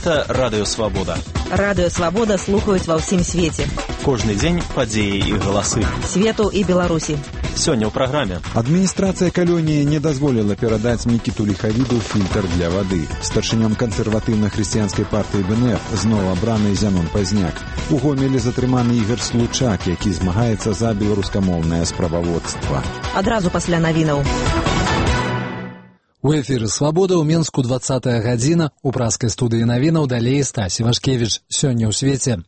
Гэта Радыё Свабода. Радыё Свабода слухаюць ва ўсім свеце. Кожны дзень падзеі і галасы. Свету і Беларусі. Сёння ў праграме. Адміністрацыя калоніі не дазволіла перадаць Мікіту Ліхавіду фільтр для вады. Старшынём кансерватыўна-хрысціянскай партыі БНФ зноў абраны Зянон Пазняк. У Гомелі затрыманы Ігар Случак, які змагаецца за беларускамоўнае справаводства. Адразу пасля навінаў. У эфіры «Свабода» ў Менску 20-я гадзіна. У праскай студыі навінаў далей Стасі Вашкевіч. Сёння ў свеце.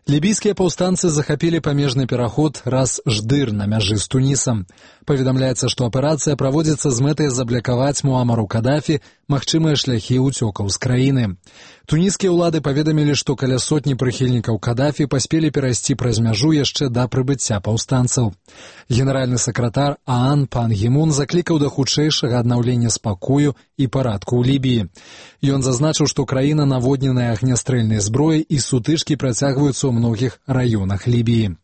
Лібійскія паўстанцы захапілі памежны пераход Рас-Ждыр на мяжы з Тунісам. Паведамляецца, што аперацыя праводзіцца з мэтай заблякаваць Муамару Кадафі магчымыя шляхі ўцёкаў з краіны. Туніскія ўлады паведамілі, што каля сотні прыхільнікаў Кадафі паспелі перайсці праз мяжу яшчэ да прыбыцця паўстанцаў. Генеральны сакратар ААН Пан Гі Мун заклікаў да хутчэйшага аднаўлення спакою і парадку ў Лібіі. Ён зазначыў, што краіна наводненая агнястрэльнай зброяй і сутычкі працягваюцца ў многіх раёнах Лібіі.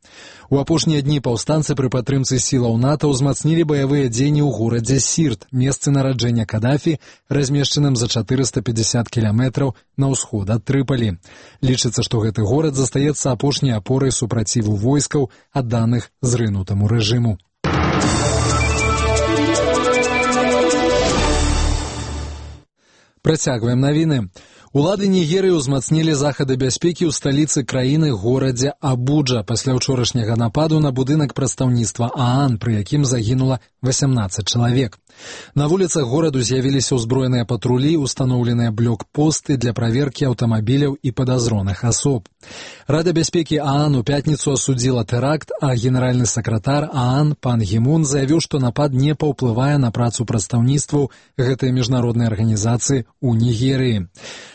У апошнія дні паўстанцы пры падтрымцы сілаў НАТО ўзмацнілі баявыя дзеянні ў горадзе Сірт, месцы нараджэння Кадафі, размешчаным за 450 кіламетраў на ўсход ад Трыпалі. Лічыцца, што гэты горад застаецца апошняй апорай супраціву войскаў, адданых зрынутаму рэжыму. Працягваем навіны. Улады Нігерыі ўзмацнілі захады бяспекі ў сталіцы краіны горадзе Абуджа пасля ўчорашняга нападу на будынак прадстаўніцтва ААН, пры якім загінула 18 чалавек. На вуліцах гораду з'явіліся ўзброеныя патрулі, устаноўленыя блокпосты для праверкі аўтамабіляў і падазроных асоб. Рада бяспекі ААН у пятніцу асудзіла тэракт, а генеральны сакратар ААН Пан Гі Мун заявіў, што напад не паўплывае на працу прадстаўніцтваў гэтай міжнароднай арганізацыі ў Нігерыі.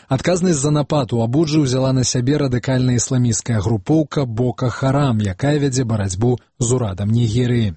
Адказнасць за напад у Абуджы ўзяла на сябе радыкальная ісламісцкая групоўка Бока Харам, якая вядзе барацьбу з урадам Нігерыі.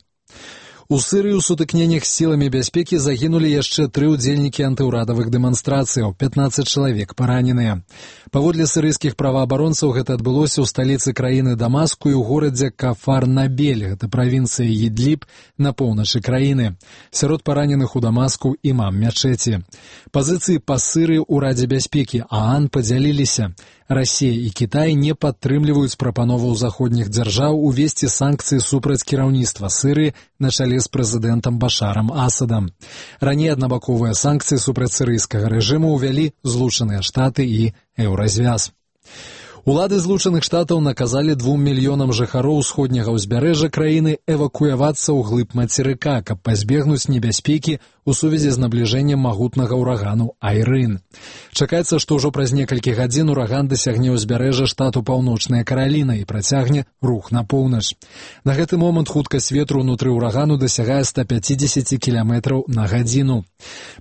У Сырыі ў сутыкненнях з сіламі бяспекі загінулі яшчэ 3 удзельнікі антыўрадавых дэманстрацыяў, 15 чалавек параненыя. Паводле сырыйскіх праваабаронцаў гэта адбылося ў сталіцы краіны Дамаску і ў горадзе Кафар-Набель, гэта правінцыя Ідліб на поўначы краіны. Сярод параненых у Дамаску імам мячэці. Пазіцыі па Сырыі ў Радзе бяспекі ААН падзяліліся. Расія і Кітай не падтрымліваюць прапановаў заходніх дзяржаў увесці санкцыі супраць кіраўніцтва Сырыі на чале з прэзідэнтам Башарам Асадам. Раней аднабаковыя санкцыі супраць сырыйскага рэжыму ўвялі Злучаныя Штаты і Еўразвяз. Улады Злучаных Штатаў наказалі 2 мільёнам жыхароў усходняга ўзбярэжжа краіны эвакуявацца ў глыб мацерыка, каб пазбегнуць небяспекі у сувязі з набліжэннем магутнага ўрагану Айрын. Чакаецца, што ўжо праз некалькі гадзін ураган дасягне ўзбярэжжа штату Паўночная Караліна і працягне рух на поўнач. На гэты момант хуткасць ветру ўнутры ўрагану дасягае 150 км на гадзіну.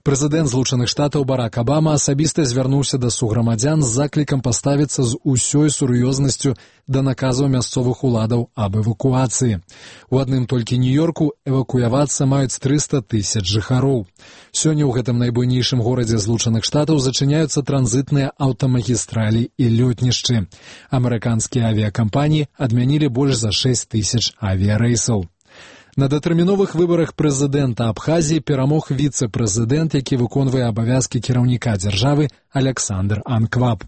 Прэзідэнт Злучаных Штатаў Барак Абама асабіста звярнуўся да суграмадзян з заклікам паставіцца з усёй сур'ёзнасцю да наказаў мясцовых уладаў аб эвакуацыі. У адным толькі Нью-Йорку эвакуявацца маюць 300 000 жыхароў. Сёння ў гэтым найбуйнейшым горадзе Злучаных Штатаў зачыняюцца транзітныя аўтамагістралі і лётнішчы. Амерыканскія авіякампаніі адмянілі больш за 6000 авіярэйсаў. На датэрміновых выбарах прэзідэнта Абхазіі перамог віцэ-прэзідэнт, які выконвае абавязкі кіраўніка дзяржавы Аляксандр Анкваб.